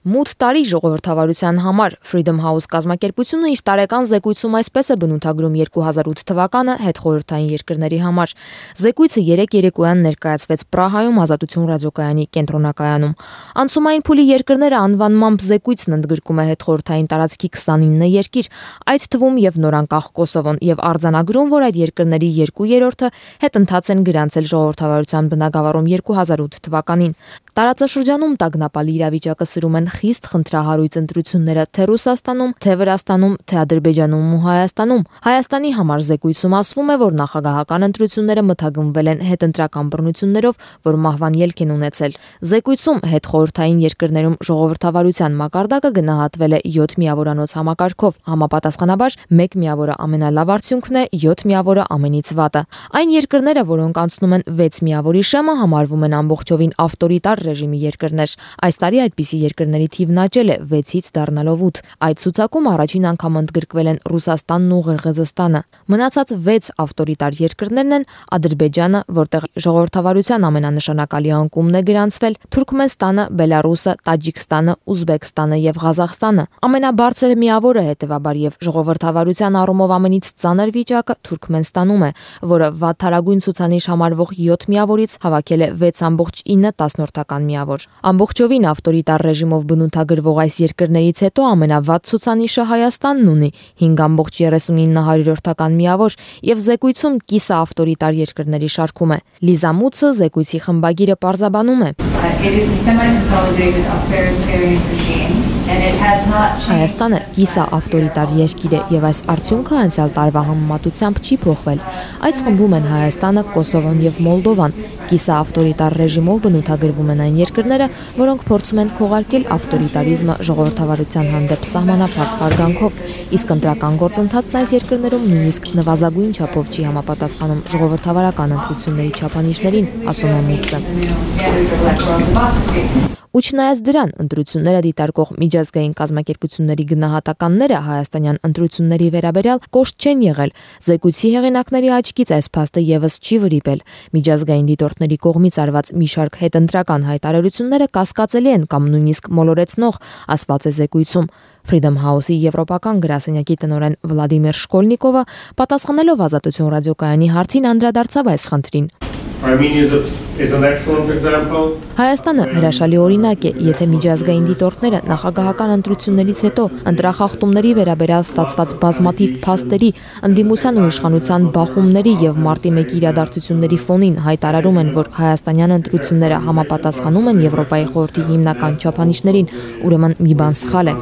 Մութ տարի ժողովրդավարության համար Freedom House կազմակերպությունը իր տարեկան զեկույցում այսպես է բնութագրում 2008 թվականը հետխորհրդային երկրների համար։ Զեկույցը 3 երեկոյան ներկայացվեց Պրահայում Ազատություն ռադիոկայանի կենտրոնակայանում։ Անցումային փուլի երկրները անվանմամբ զեկույցն ընդգրկում է հետխորհրդային տարածքի 29 երկիր, այդ թվում եւ նորանկախ Կոսովոն, եւ արձանագրում, որ այդ երկրների 2/3-ը հետընթաց են գրանցել ժողովրդավարության բնագավառում 2008 թվականին։ Տարածաշրջանում տագնապալի իրավիճակը սրում են խիստ խնդրահարույց ընտրությունները թե Ռուսաստանում, թե Վրաստանում, թե Ադրբեջանում ու Հայաստանում։ Հայաստանի համար զեկույցում ասվում է, որ նախագահական ընտրությունները մթագնվել են հետընտրական բռնություններով, որ մահվան ելք են ունեցել։ Զեկույցում հետխորհրդային երկրներում ժողովրդավարության մակարդակը գնահատվել է 7 միավորանոց համակարգով, համապատասխանաբար 1 միավորը ամենալավ արդյունքն է, 7 միավորը ամենից վատը։ Այն երկրները, որոնք անցնում են 6 միավորի շեմը, համարվում են ամբողջովին ավտորիտար ռեժիմի երկրներ։ Այս տարի այդպիսի երկրների թիվն աճել է 6-ից դառնալով 8։ Այդ ցուցակում առաջին անգամ ընդգրկվել են Ռուսաստանն ու Ղրղըզստանը։ Մնացած 6 ավտորիտար երկրներն են Ադրբեջանը, որտեղ ժողովրդավարության ամենանշանակալի անկումն է գրանցվել, Թուրքմենստանը, Բելարուսը, Տաջիկստանը, Ուզբեկստանը եւ Ղազախստանը։ Ամենաբարձր միավորը հետեւաբար եւ ժողովրդավարության առումով ամենից ծանր վիճակը Թուրքմենստանում է, որը վատթարագույն ցուցանիշ համարվող 7 միավորից հավաքել է 6.9 միավոր։ Ամբողջովին ավտորիտար ռեժիմով բնութագրվող այս երկրներից հետո ամենավատ ցուցանիշը Հայաստանն ունի 5.39 միավոր եւ զեկույցում կիսա ավտորիտար երկրների շարքում է։ Լիզա Մուցը զեկույցի խմբագիրը պարզաբանում է. Հայաստանը կիսա ավտորիտար երկիր է եւ այս արդյունքը անցյալ տարվա համեմատությամբ չի փոխվել։ Այս խմբում են Հայաստանը, Կոսովոն եւ Մոլդովան։ Կիսա ավտորիտար ռեժիմով բնութագրվում են այն երկրները, որոնք փորձում են քողարկել ավտորիտարիզմը ժողովրդավարության հանդեպ սահմանափակ հարգանքով, իսկ ընտրական գործընթացն այս երկրներում նույնիսկ նվազագույն չափով չի համապատասխանում ժողովրդավարական ընտրությունների չափանիշներին, ասում է Մուցը։ Ու չնայած դրան, ընտրությունները դիտարկող միջազգային կազմակերպությունների գնահատականները հայաստանյան ընտրությունների վերաբերյալ կոշտ չեն եղել։ Զեկույցի հեղինակների աչքից այս փաստը եւս չի վրիպել։ Միջազգային դիտորդների կողմից արված մի շարք հետընտրական հայտարարությունները կասկածելի են կամ նույնիսկ մոլորեցնող, ասված է զեկույցում։ Freedom House-ի եվրոպական գրասենյակի տնօրեն Վլադիմիր Շկոլնիկովը պատասխանելով Ազատություն ռադիոկայանի հարցին անդրադարձավ այս խնդրին։ Հայաստանը հրաշալի օրինակ է, եթե միջազգային դիտորդները նախագահական ընտրություններից հետո ընտրախախտումների վերաբերյալ ստացված բազմաթիվ փաստերի, ընդդիմության ու իշխանության բախումների եւ մարտի 1-ի իրադարձությունների ֆոնին հայտարարում են, որ հայաստանյան ընտրությունները համապատասխանում են Եվրոպայի խորհրդի հիմնական չափանիշներին, ուրեմն մի բան սխալ է։